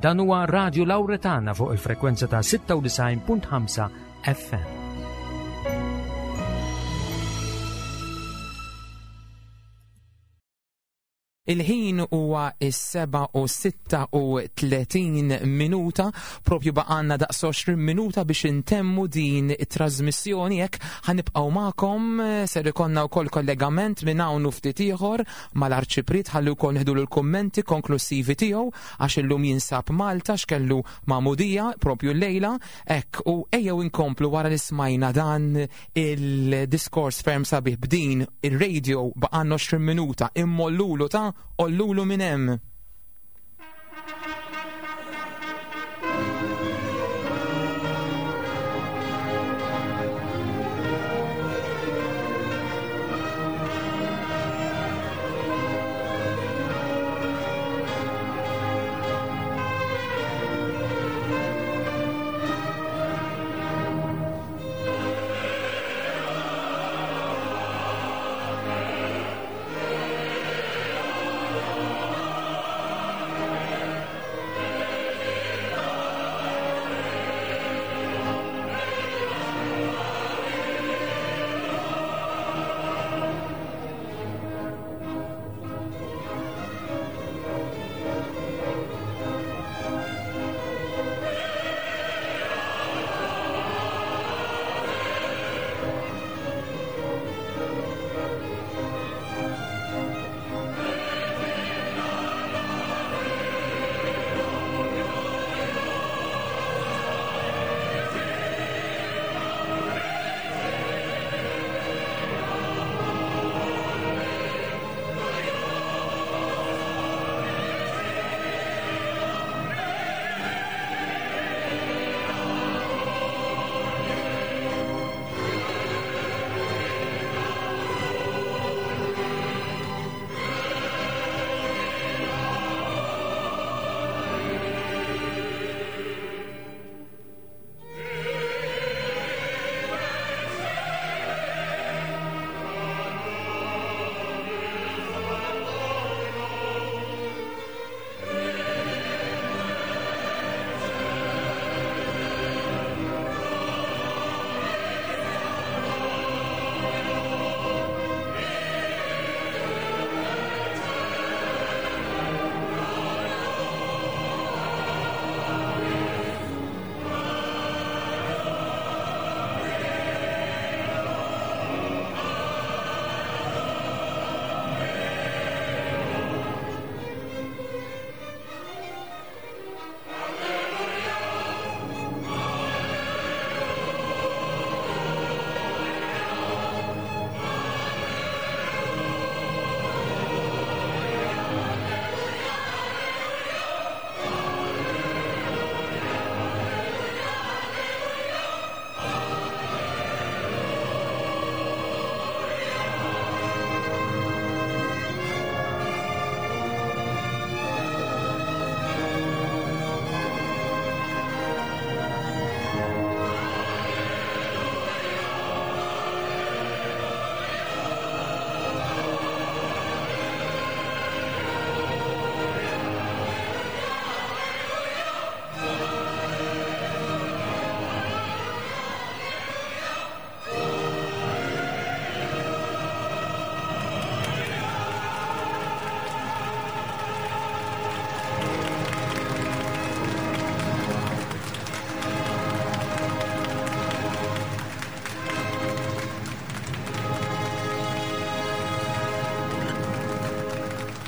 Dan huwa Radio Lauretana fuq il-frekwenza ta' 96.5 FM. Il-ħin huwa is-7 u 36 minuta, propju baqanna daqs 20 minuta biex intemmu din it-trasmissjoni hekk ħanibqgħu magħkom ser ikollna wkoll kollegament minn hawn u ftit ieħor mal-Arċipriet ħalli wkoll nieħdu l-kummenti konklusivi tiegħu għax illum jinsab Malta x'kellu magħmudija propju llejla hekk u ejjew inkomplu wara li smajna dan il-diskors ferm sabiħ b'din ir-radio baqanna 20 minuta immollulu ta' ollulu minn hemm.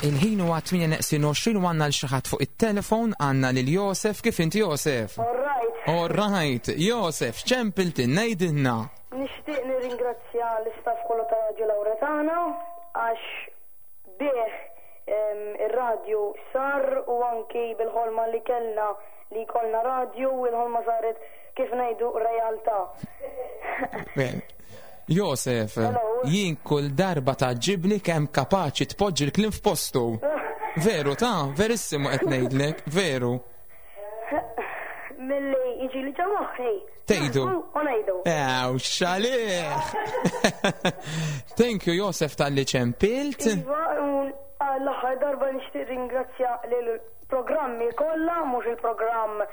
Il-ħin huwa 8 neqsin 20 u għandna l xi ħadd fuq it-telefon għandna lil Josef kif inti Josef? All right. All right, Josef, ċempilti ngħidilna. Nixtieq nirringrazzja l-istaff kollu ta' Radio Lauretana għax bih ir-radju sar u anki bil-ħolma li kellna li jkollna radju u l-ħolma saret kif ngħidu realtà. Josef, jien kull darba tgħaġġibni kemm kapaċi tpoġġi l-kliem f'postu. Veru ta' verissimu qed ngħidlek, veru. Milli jiġi li ġo moħħi. Tgħidu. U ngħidu. Ew, xalih! Thank you Josef talli ċempilt. Iva, l-aħħar darba nixtieq ringrazzja lil. programmi kollha, mhux il-programm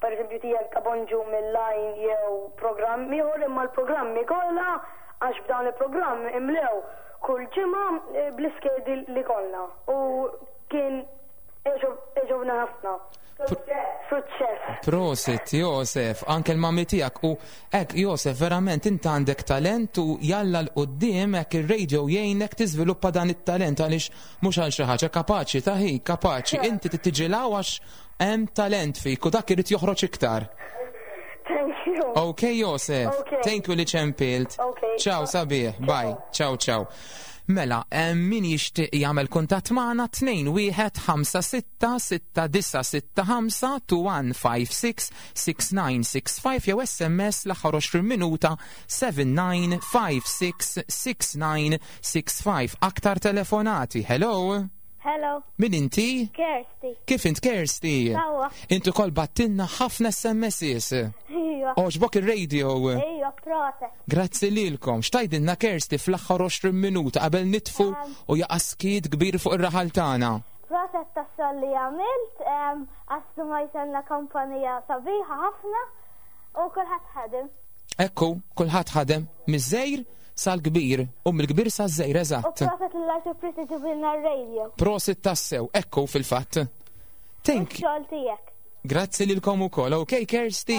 pereżempju tiegħek ta' Bonġu mill-Għajn jew programm ieħor imma l-programmi kollha għax b'dawn il-programm imlew kull ġimgħa bl-iskedi li kollna u kien għeġobna ħafna. Suċċess. Prosit, Josef, anke l-mami tiegħek u hekk Josef verament int għandek talent u jalla 'l quddiem hekk ir-radio jgħinek tiżviluppa dan it-talent għaliex mhux għal xi ħaġa kapaċi ta' hi, kapaċi inti trid tiġi 'l hawn għax hemm talent fik u dak irid joħroġ iktar. Thank you. Ok, Josef. Okay. Thank you li ċempilt. Okay. Ciao, sabiħ. Bye. Ciao, ciao. Mela, min jixtieq jagħmel kuntatt magħna 2 1 5 6 6 9 6 5 2 1 5 6 6 9 6 5 jew SMS l-aħħar 20 minuta 7 9 5 6 6 9 6 5. Aktar telefonati. Hello? Hello. Min inti? Kersti. Kif int Kersti? Sawa. Inti kol battilna ħafna SMSs. Iva. Oġbok ir-radio. Iva, proset. Grazzi lilkom. X'tajdilna Kersti fl-aħħar 20 minuta qabel nitfu u jaqa' skiet kbir fuq ir-raħal tagħna. Proset tax-xogħol li għamilt, għax ma jsenna kampanija sabiħa ħafna u kulħadd ħadem. Ekku, kulħadd ħadem miż-żejr sal-kbir u mill-kbir saż-żejr eżatt. U proset l-arċipriet ġibilna r-radio. Prosit tassew, ekku fil-fatt. Thank you. Xogħol tiegħek. Grazzi lilkom ukoll. Ok, Kersti.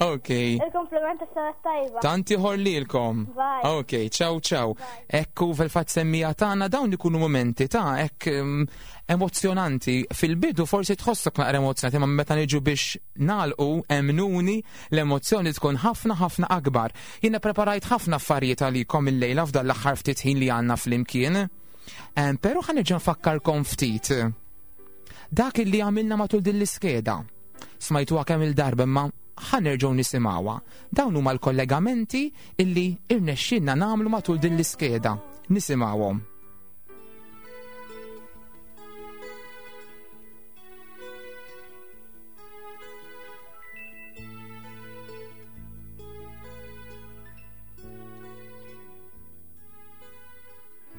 Ok. Il-kompliment tas-sena tajba. Tanti ħor lilkom. Bye. Ok, ciao ciao. Ekku fil-fatt semmija tagħna dawn ikunu momenti ta' hekk emozjonanti. Fil-bidu forsi tħossok naqra emozjonanti, ma meta niġu biex nagħlqu emnuni l-emozzjoni tkun ħafna ħafna akbar. Jiena preparajt ħafna affarijiet għalikom illejla f'dan l-aħħar ftit ħin li għandna flimkien. Però ħa nerġa' nfakkarkom ftit. Dak li għamilna matul din l-iskeda. Smajtuha kemm il-darba imma ħa nerġgħu nisimgħuha. Dawn huma l-kollegamenti illi irnexxielna nagħmlu matul din l-iskeda. Nisimgħuhom.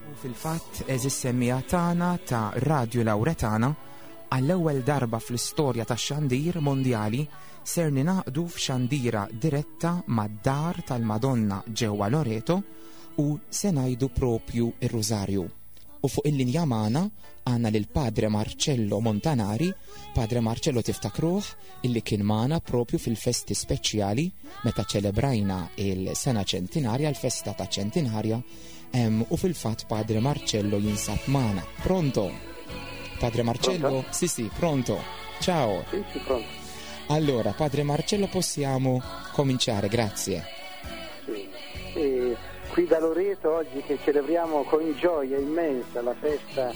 U fil-fatt, eżis semmija tagħna ta' Radio Lauretana, għall-ewwel darba fl-istorja tax-xandir mondjali ser ninaqdu f'xandira diretta mad-dar tal-Madonna ġewwa Loreto u se ngħidu propju ir-Rużarju. U fuq il-linja magħna għandna lil Padre Marcello Montanari. Padre Marcello tiftakruh illi kien magħna propju fil-festi speċjali meta ċelebrajna il-sena ċentinarja, l-festa ta' ċentinarja, u fil-fatt Padre Marcello jinsab magħna. Pronto? Padre Marcello? Pronto? Sì, sì, pronto. Ciao. Sì, sì, pronto. Allora, Padre Marcello, possiamo cominciare, grazie. Sì. E qui da Loreto oggi che celebriamo con gioia immensa la festa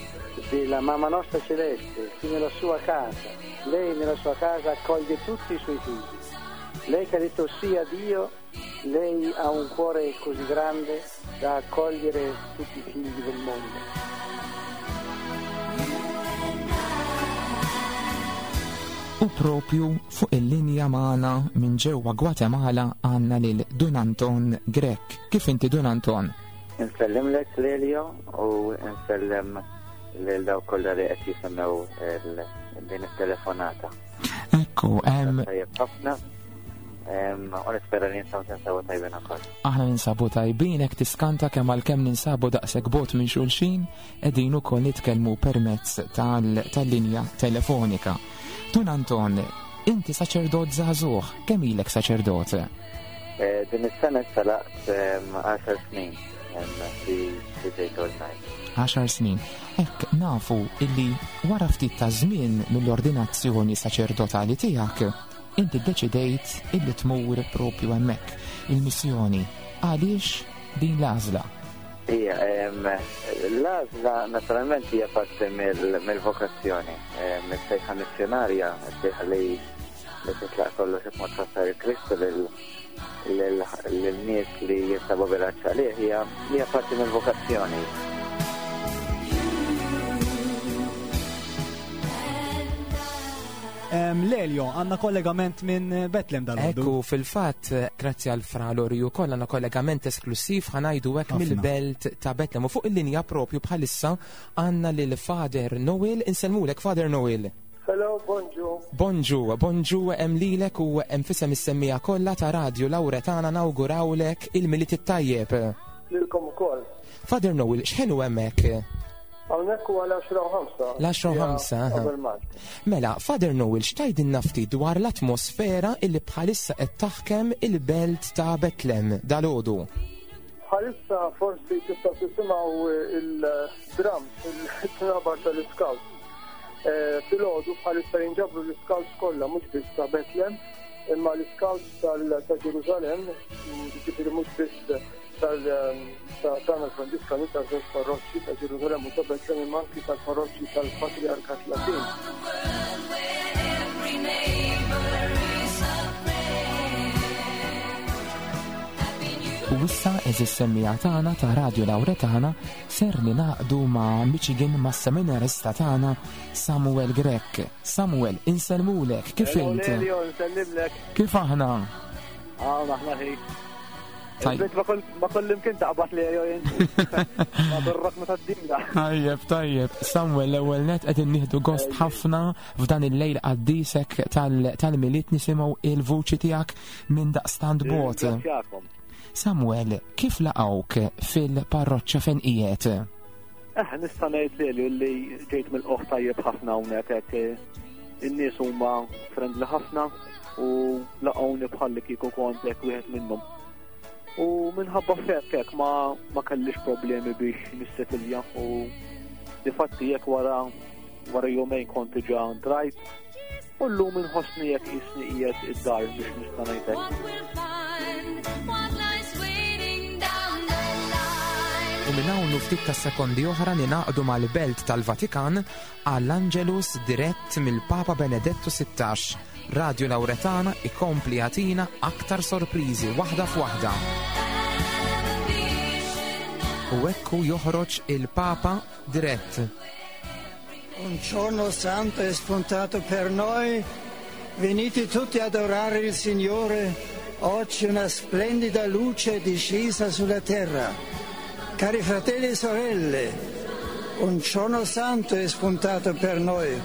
della Mamma Nostra Celeste, qui nella sua casa. Lei nella sua casa accoglie tutti i suoi figli. Lei che ha detto sì a Dio, lei ha un cuore così grande da accogliere tutti i figli del mondo. U propju fuq il-linja magħna minn ġewwa Gwatemala għandna lil Dun Anton Grech. Kif inti Dun Anton? Nsellimlek Lelio u nsellem lil dawk kollha li qed jisimgħu din it-telefonata. Ekku, Tajjeb ħafna. U nispera li ninsabu tinsabu tajbin ukoll. Aħna ninsabu tajbin hekk tiskanta kemm għalkemm ninsabu daqshekk bot minn xulxin qegħdin ukoll nitkellmu permezz tal-linja telefonika. Dun Anton, inti saċerdot żagħżugħ, kemm ilek saċerdot? Din is-sena issa laqt 10 snin li ġejt ordnajt. 10 snin. Hekk nafu illi wara ftit ta' żmien mill-ordinazzjoni saċerdotali tiegħek, inti ddeċidejt illi tmur propju hemmhekk, il-missjoni. Għaliex din l-għażla? Ija, l-għażla naturalment hija parti mill-vokazzjoni, mis-sejħa missjonarja, sejħa li titlaq kollox b'mod fassar il-Kristu lil-nies li jinsabu bil-għatx għalih, hija parti mill-vokazzjoni. Lelio, għanna kollegament minn Betlem dal-għodu. Ekku, fil-fatt, grazzi għal Fra Lorju koll, għanna kollegament esklusiv ħanajdu hekk Ħafna. mill-belt ta' Betlem. U fuq il-linja propju bħalissa għanna lil Father Noel, insellmulek Father Noel. Hello, bonġu. Bonġu, bonġu hemm lilek u hemm fisem is-semmija kollha ta' Radio Lauretana nawgurawlek il-Milied it-tajjeb. Lilkom ukoll. Father Noel, x'ħinu hemmhekk? Hawnhekk huwa l-10 u 5. L-10 u 5. Qabel Malt. Mela, Father Noel, x'tgħidilna ftit dwar l-atmosfera illi bħalissa qed taħkem il-belt ta' Betlem dalgħodu? Bħalissa forsi tistgħu tisimgħu il-drums, il-tnabar tal-iscouts. Eh, filgħodu bħalissa jinġabru l-iscouts kollha mhux biss ta' Betlem, imma l-iscouts ta' Ġerusalem, ġifieri mhux biss tal-Tana Franġiskani ta' żewġ parroċċi ta' Ġerusalemm u ta' Betlem imma anki tal-parroċċi tal-Patriarkat Latin. U issa eżis semmija tagħna ta' Radio Lauretana ser ninaqdu ma' Michigan ma' seminarista tagħna Samuel Grech. Samuel, insellmulek, kif int? Kif aħna? Aħna aħna ħi. Tajjeb. Ma kollim kien taqbad li jew Ma dorrok ma tad-dinja. Tajjeb, tajjeb. Samuel, l-ewwel net qegħdin nieħdu gost ħafna f'dan il-lejl qaddisek tal-miliet nisimgħu il-vuċi tiegħek minn daqstant bot. Samuel, kif laqgħuk fil-parroċċa fejn qiegħed? Eh, nista' ngħid li li ġejt mill-qoħ tajjeb ħafna hawnhekk hekk eh, in-nies huma friendly ħafna u laqgħuni bħalli kieku kont hekk wieħed minnhom. U minħabba f'hekk hekk ma, ma kellix problemi biex nissetilja u difatti jekk wara wara jumejn kont diġà drajt u llum inħossni jekk jisni qiegħed id-dar biex nista' ngħidlek. U minn hawn ftit ta' sekondi oħra ninaqdu mal-Belt tal-Vatikan għall-Angelus dirett mill-Papa Benedettu 16. Radio Lauretana ikompli jagħtina aktar sorpriżi waħda f'waħda. U ekku joħroġ il-Papa dirett. Un giorno santo è spuntato per noi. Venite tutti ad adorare il Signore. Oggi una splendida luce è discesa sulla terra. Cari fratelli e sorelle, un giorno santo è spuntato per noi,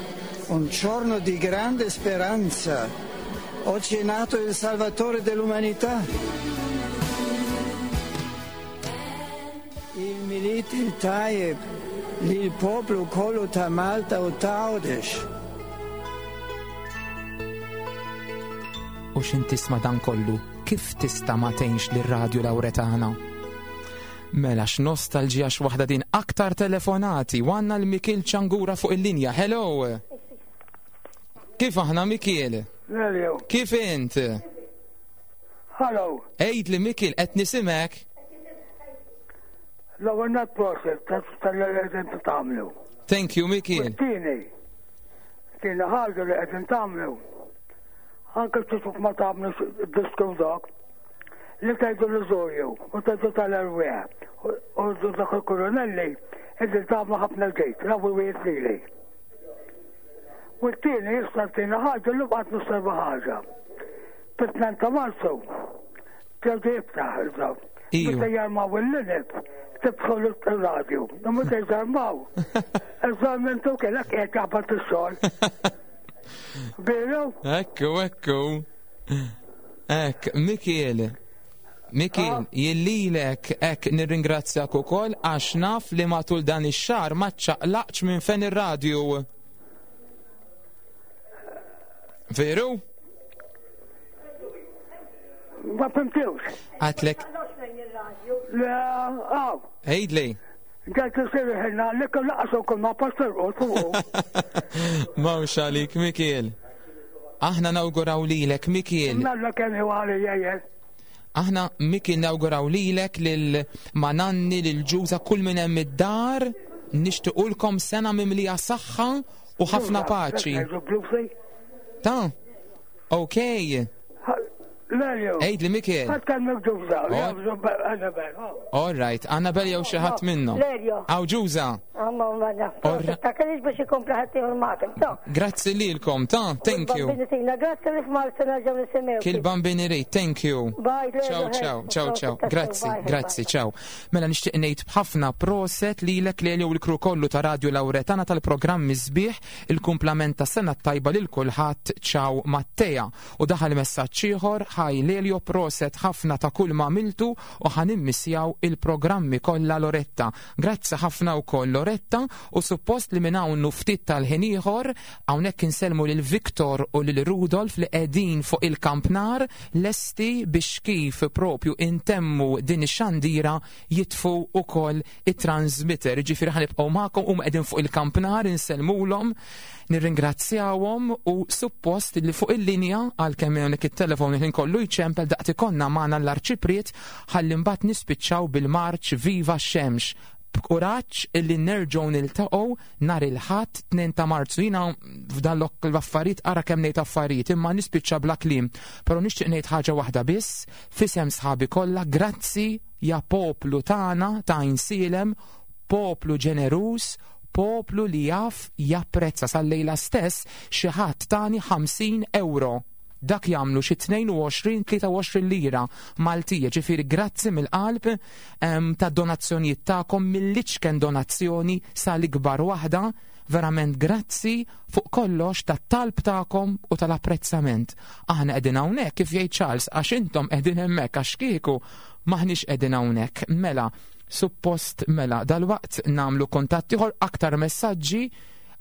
un giorno di grande speranza. Oggi è nato il Salvatore dell'umanità. Il Milit il Tajeb, il popolo kollu ta' Malta u ta' Għawdex. U x'in tisma' dan kollu, kif tista' ma tgħinx lir-Radju Lauretana? Mela x'nostalġija x'waħda din aktar telefonati u għandna l-Mikil Ċangura fuq il-linja. Hello! Kif aħna Mikil? Lelio. Kif int? Hello. Għid li Mikil qed nisimek. L-ewwel nett proset tal-li qegħdin tagħmlu. Thank you Mikil. Tieni. Tieni ħaġa li qegħdin tagħmlu. Anke kif ma tagħmlu disku dak. Li tgħidu l-użorju u tgħidu tal-erwieħ u dak il-kurunelli qegħdin tagħmlu ħafna ġid, l-ewwel wieħed lili. U t-tieni issa t-tieni ħaġa li bqgħet nosserva ħaġa. Fit-2 ta' Marzu terġa' jiftaħ il-daw. Meta jarmaw il-linib, tibħu l-radju. Meta jarmaw, eżamentu kellek qiegħed jaħbat ix-xogħol. Veru? Ekku, ekku. Ek, Mikiel, Mikiel, ah. jillilek ek nirringrazzjak ukoll għax naf li matul dan ix-xahar ma ċċaqlaqx minn fen ir-radju. Veru? Ma fimtux. Għatlek. Le, għaw. Ejdli. Ġajt sirħilna li kemm laqas ukoll ma pastor fuq. Mawx għalik, Mikiel. Aħna nawguraw lilek, Mikiel. Mella kemm hu għalija jien. Aħna Mikiel nawguraw lilek lil mananni lil ġuża kull minn hemm id-dar nixtiequlkom sena mimlija saħħa u ħafna paċi. Ta' ok. Lelju. Għidli Mikiel. Ħa tkellmek Ġuża, Annabel. All right, Annabel jew xi ħadd minnhom. Lelju. Aw Ġuża. Amma ma Ta' kellix biex ikompli ħadd ieħor magħkom. Ta. Grazzi lilkom, ta' thank you. Bambini grazzi li f'Marzu nerġgħu nisimgħu. Kil bambini rrid, thank you. Bye, Lelju. Ciao, ciao, ciao, ciao. Grazzi, grazzi, ciao. Mela nixtieq ngħid b'ħafna proset lilek Lelju u l-kru kollu ta' Radio Lauretana tal-programmi sbieħ il-kumplament ta' sena tajba lil kulħadd. Ciao Mattea. U daħal messaġġ ieħor, Hi Lelio proset ħafna ta' kull ma għamiltu u ħa nimmissjaw il-programmi kollha Loretta. Grazzi ħafna wkoll Loretta u suppost li minn hawn u ftit tal-ħin ieħor hawnhekk insellmu lil Victor u lil Rudolf li qegħdin fuq il-kampnar lesti biex kif propju intemmu din ix-xandira jitfu wkoll it-transmitter. Ġifieri ħa nibqgħu magħkom huma qegħdin fuq il-kampnar insellmulhom, nirringrazzjawhom u suppost li fuq il-linja għalkemm hawnhekk it-telefon il-ħin kollu jċempel daqt ikollna magħna l-Arċipriet ħalli mbagħad nispiċċaw bil-marċ Viva x-Xemx. B'kuraġġ illi nerġgħu niltaqgħu nhar il-Ħadd 2 ta' Marzu. Jiena f'dan l-affarijiet ara kemm ngħid affarijiet imma nispiċċa bla kliem. Però nixtieq ngħid ħaġa waħda biss, f'isem sħabi kollha, grazzi ja poplu tagħna ta' Għajnsielem, poplu ġeneruż, poplu li jaf japprezza. Sal-lejla stess xi ħadd tani 50 ewro. Dak jagħmlu xi 22-23 lira Maltija, ġifieri grazzi mill-qalb tad-donazzjonijiet tagħkom mill-iċken donazzjoni sal-ikbar waħda, verament grazzi fuq kollox tat-talb tagħkom u tal-apprezzament. Aħna qegħdin hawnhekk kif jgħid Charles għax intom qegħdin hemmhekk għax kieku maħniex qegħdin hawnhekk. Mela, suppost mela dalwaqt nagħmlu kuntatt ieħor aktar messaġġi.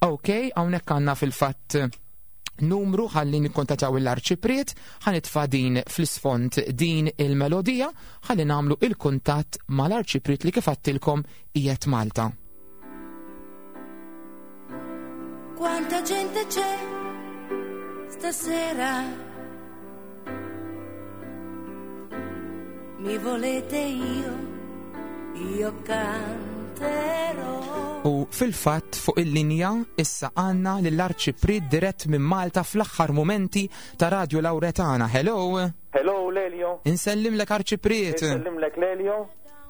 Ok, hawnhekk għandna fil-fatt numru ħalli nikkontattjaw l-Arċipriet, ħanitfa' din fl-isfond din il-melodija ħalli nagħmlu il-kuntatt mal-Arċipriet li kif għadtilkom qiegħed Malta. Quanta gente c'è stasera? Mi volete io, io canterò. U fil-fatt fuq il-linja issa għandna lill-Arċipriet dirett minn Malta fl-aħħar mumenti ta' Radio Lauretana. Hello! Hello Lelio! Insellimlek Arċipriet! Insellimlek Lelio,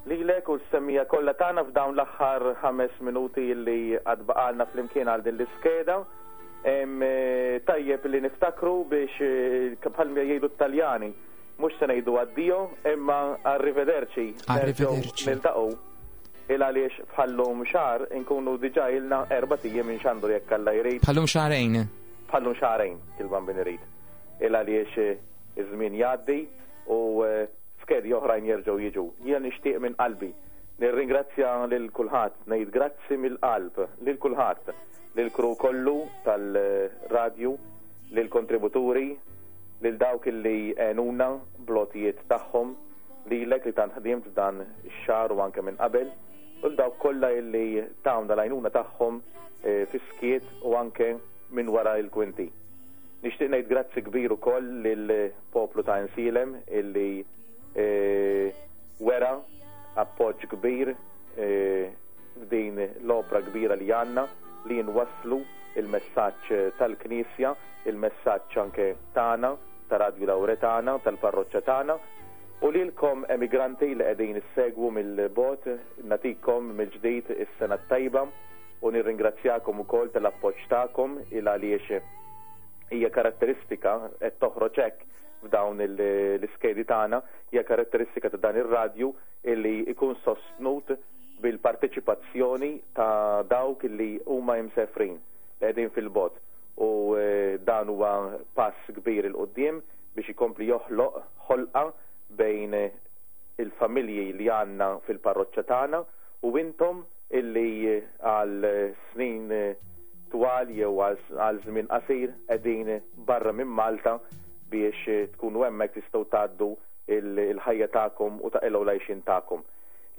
lilek u s-semmija kollha tagħna f'dawn l-aħħar 5 minuti li għad baqalna flimkien għal din l-iskeda. Tajjeb li niftakru biex bħal jgħidu t-Taljani, mhux se ngħidu addio imma arrivederci. Arrivederci. Niltaqgħu il għaliex bħallum xahar inkunu diġà ilna erbat ijiem inxandru jekk Alla jrid. Bħallum xahrejn. Bħallum xahrejn, il-Bambin irid. Il għaliex iż-żmien jgħaddi u skedi oħrajn jerġgħu jiġu. Jiena nixtieq minn qalbi nirringrazzja lil kulħadd, ngħid grazzi mill-qalb lil kulħadd, lill-crew kollu tal-radju, lill-kontributuri, lil dawk li għenuna bl-għotijiet tagħhom, lilek li tant ħdimt f'dan ix-xahar u anke minn qabel, u lil dawk kollha li tawna l-għajnuna tagħhom fis-skiet u anke minn wara l-kwinti. Nixtieq ngħid grazzi kbir ukoll lill-poplu ta' Għajnsielem illi wera appoġġ kbir f'din l-opra kbira li għandna li nwasslu il-messaġġ tal-Knisja, il-messaġġ anke tagħna, ta' Radju Lawretana, tal-parroċċa tagħna. U lilkom emigranti li qegħdin issegwu mill-bogħod, nagħtikom mill-ġdid is-sena t-tajba u nirringrazzjakom ukoll tal-appoġġ tagħkom il għaliex hija karatteristika qed toħroġ hekk f'dawn l-iskedi tagħna, hija karatteristika ta' dan ir-radju illi jkun sostnut bil-parteċipazzjoni ta' dawk illi huma imsefrin, li qegħdin fil-bogħod u dan huwa pass kbir 'il quddiem biex ikompli joħloq ħolqa bejn il-familji li għandna fil-parroċċa tagħna u intom illi għal snin twal jew għal żmien qasir qegħdin barra minn Malta biex tkunu hemmhekk tistgħu tgħaddu l-ħajja tagħkom u taqilgħu l-għajxien tagħkom.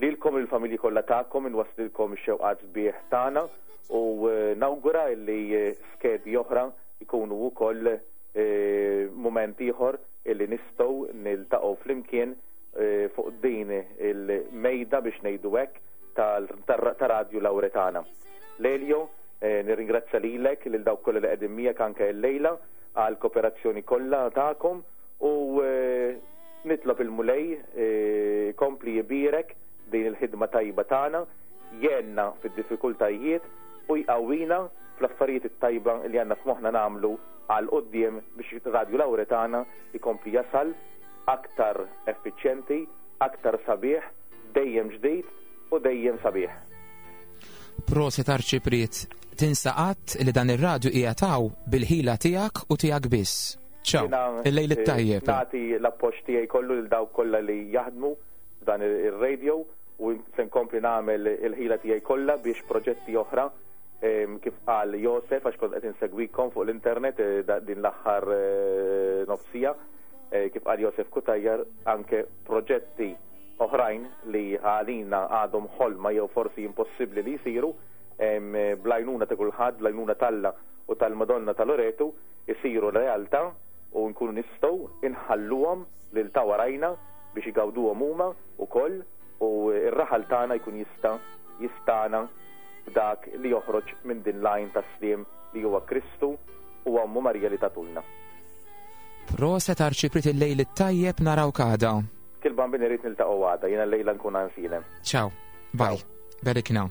Lilkom u lill-familji kollha tagħkom inwasslilkom ix-xewqat sbieħ tagħna u nawgura illi skedi oħra jkunu wkoll mument ieħor illi nistgħu niltaqgħu flimkien fuq din il-mejda biex ngħidu hekk ta' Radju Lawretana. Lelio, nirringrazzja lilek, lil dawk kollha li qegħdin miegħek anke llejla għall-koperazzjoni kollha tagħkom. U nitlob il-Mulej ikompli jbierek din il-ħidma tajba tagħna, jgħinna fid-diffikultajiet u jqawwina fl-affarijiet it-tajba li għandna f'moħħna nagħmlu għal quddiem biex Radju Lawretana jkompli jasal aktar effiċjenti, aktar sabiħ, dejjem ġdid u dejjem sabiħ. Proset Arċipriet, tinsa qatt li dan ir-radju qiegħed hawn bil-ħila tiegħek u tiegħek biss. Ciao, il-lejl it-tajjeb. Nagħti l-appoġġ tiegħi kollu lil dawk kollha li jaħdmu f'dan ir-radio u se nkompli nagħmel il-ħila tiegħi kollha biex proġetti oħra kif qal Josef għax kont qed insegwikom fuq l-internet eh, din l-aħħar eh, nofsija eh, kif qal Josef Kutajjar anke proġetti oħrajn li għalina għadhom ħolma jew forsi impossibbli li jsiru blajnuna ta' kulħadd, blajnuna talla u tal-Madonna ta' Loretu jsiru realtà u nkunu nistgħu inħalluhom lil ta' warajna biex igawduhom huma wkoll u r-raħal tagħna jkun jista' jistagħna b'dak li joħroġ minn din l-għajn tas-sliem li huwa Kristu u Ommu Marija li tagħtulna. Proset Arċipriet il-lejl it-tajjeb narawk għada. Kil Bambin irid niltaqgħu għada, jiena llejla nkun għansilem. Ciao. Bye. Berikna.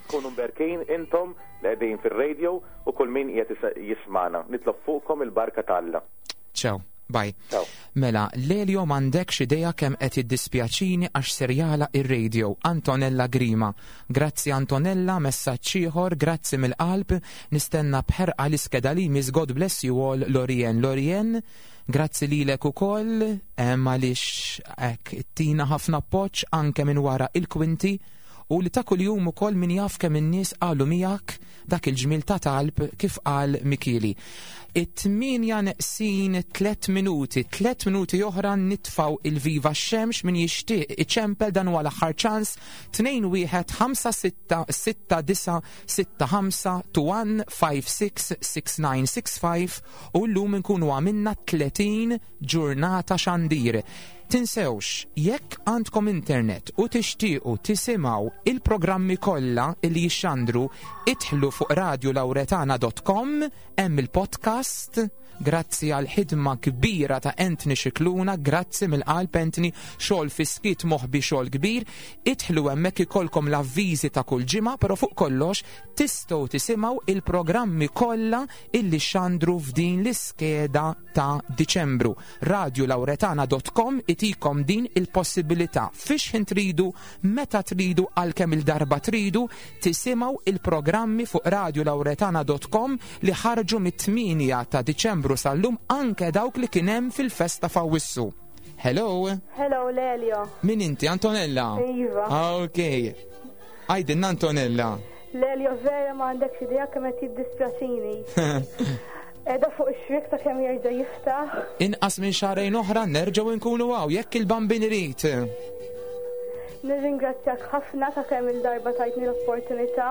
Kunu mberkin intom li qegħdin fir-radio u kull min qiegħed jismagħna. Nitlob fuqkom il-barka ta' Alla. Ciao. Bye. Ciao. Mela, Lelio m'għandekx idea kemm qed jiddispjaċini għax ser jagħlaq ir-radio. Antonella Grima. Grazzi Antonella, messaġġ ieħor, grazzi mill-qalb, nistenna b'ħerqa l-iskeda li jmiss God bless you all Lorien. Lorien, grazzi lilek ukoll għaliex hekk tina ħafna appoġġ anke minn wara il-kwinti u li ta' kuljum ukoll min jaf kemm in-nies qalu miegħek dak il-ġmiel ta' talb kif qal Mikieli. It-tmienja neqsin tlet minuti, tlet minuti oħra nitfaw il-Viva x-Xemx min jixtieq iċempel dan huwa l-aħħar ċans 2 1 5 6 6 9 6 5 2 1 5 6 6 9 6 5 u llum inkunu għamilna 30 ġurnata xandir. Tinsewx, jekk għandkom internet u tixtiequ tisimgħu il-programmi kollha li jixxandru, idħlu fuq radiolauretana.com, hemm il-podcast, grazzi għal ħidma kbira ta' Anthony Scicluna, grazzi mill-qalb Anthony, xogħol fis-skiet moħbi xogħol kbir, idħlu hemmhekk ikollkom l-avviżi ta' kull ġimgħa, però fuq kollox tistgħu tisimgħu il-programmi kollha illi xandru f'din l-iskeda ta' Diċembru. Radiolauretana.com itikom din il-possibilità fiex ħin tridu, meta tridu, għal kemm il-darba tridu, tisimgħu il-programmi fuq radiolauretana.com li ħarġu mit-8 ta' Diċembru sal-lum anke dawk li kien hemm fil-festa f'Awwissu. Hello. Hello, Lelio. Min inti, Antonella? Iva. Ah, ok. Għajdinna Antonella. Lelio, vera ma għandekx idea kemm qed jiddispjaċini. Qiegħda fuq ix-xwiek ta' kemm jerġa' jiftaħ. Inqas minn xahrejn oħra nerġgħu nkunu hawn jekk il-Bambin irid. Nirringrazzjak ħafna ta' kemm il-darba tajtni l-opportunità.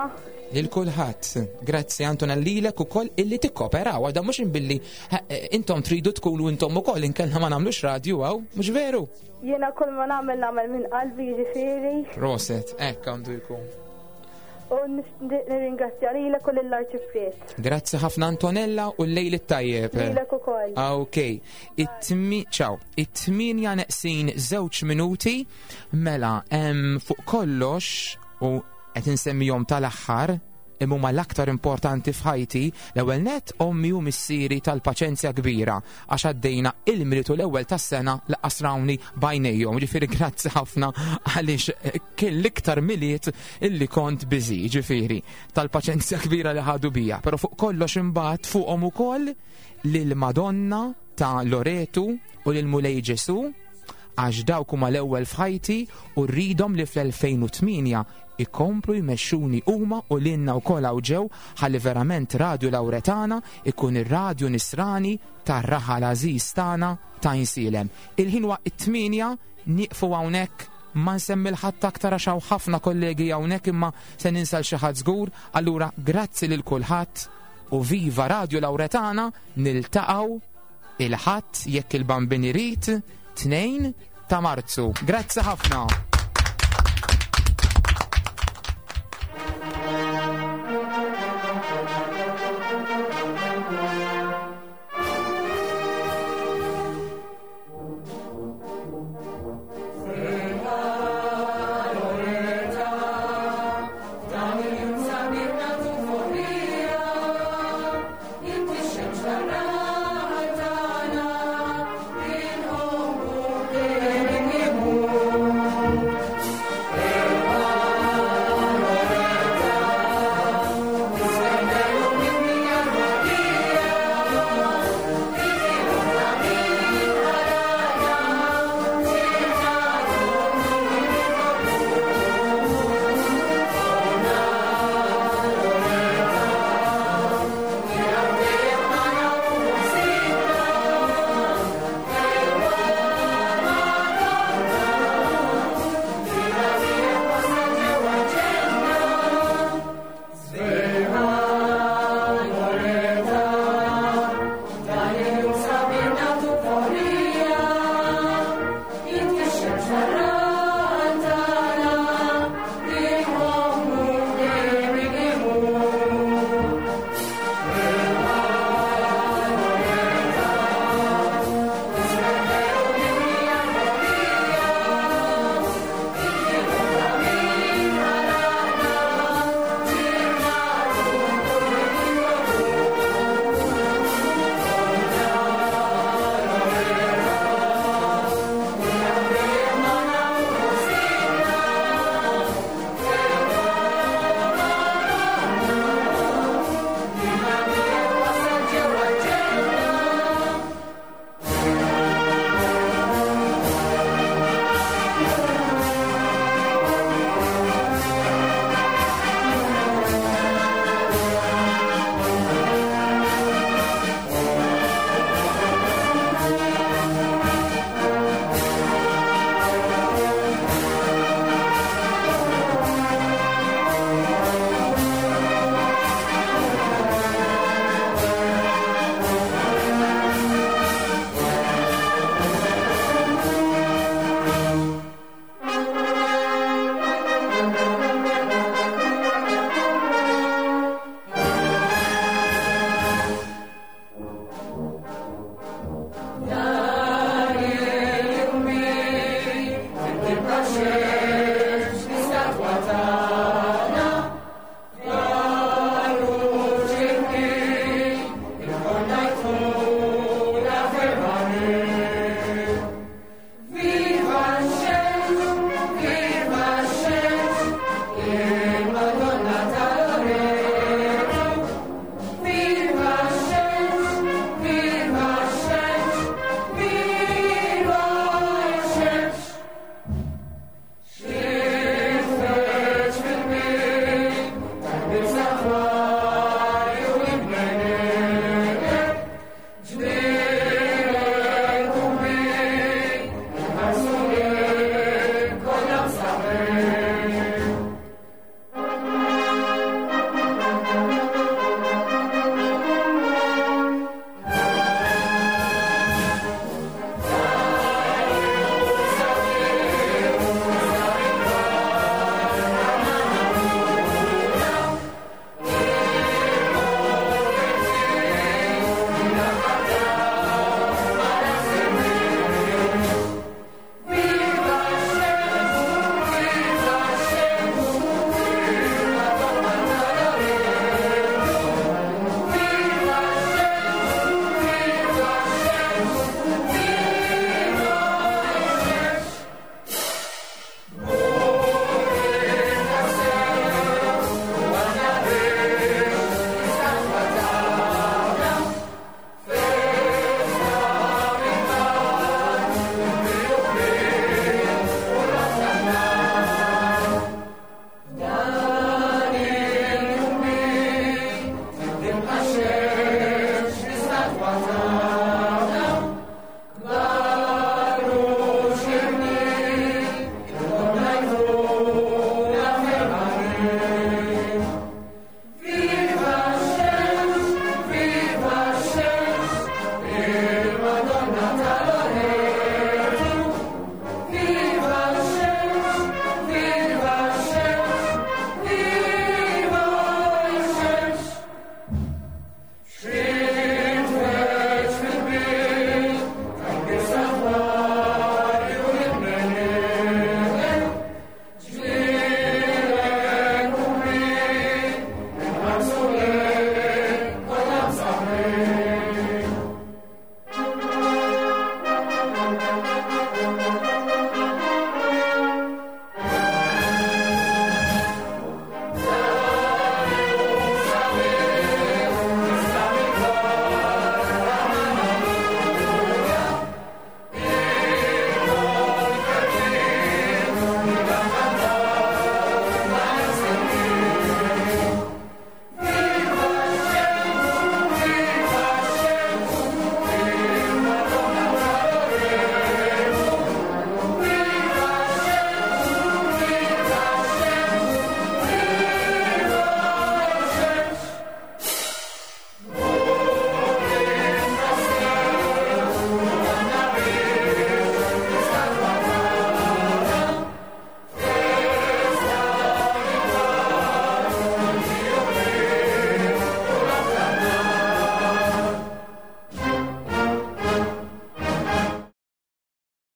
Lil kulħadd. Grazzi Antonella lilek ukoll illi tikkoperaw għadha mhux billi eh, intom tridu tkunu intom ukoll inkella ma nagħmlux radju hawn, mhux veru? Jiena kull ma nagħmel nagħmel minn qalbi jiġifieri. Proset, hekk għandu jkun. U nirringrazzja lilek u lill-Arċipriet. Grazzi ħafna Antonella u l-lejl it-tajjeb. Lilek ukoll. Ah, ok. It-tmi ciao. It-tminja neqsin żewġ minuti mela hemm fuq kollox u qed insemmihom tal-aħħar imma huma l-aktar importanti f'ħajti, l-ewwel nett ommi u missieri tal-paċenzja kbira għax għaddejna il-Milied u l-ewwel tas-sena laqqas rawni b'għajnejhom. Ġifieri grazzi ħafna għaliex eh, kien l-iktar Milied illi kont biżi, ġifieri tal-paċenzja kbira li ħadu bija. Però fuq kollox imbagħad fuqhom ukoll lil Madonna ta' Loretu u lil Mulej Ġesu għax dawk huma l-ewwel f'ħajti u rridhom li fl-2008 ikomplu jmexxuni huma u lilna wkoll hawn ġew ħalli verament Radju Lawretana ikun ir-radju nisrani tar-raħal għażiż tagħna ta' Għajnsielem. Il-ħin huwa it-tmienja, nieqfu hawnhekk, ma nsemmi 'l ħadd aktar għax hawn ħafna kollegi hawnhekk imma se ninsa 'l xi ħadd żgur, allura grazzi lil kulħadd u viva Radju Lawretana, niltaqgħu il-Ħadd jekk il-Bambin irid, 2 ta' Marzu. Grazzi ħafna.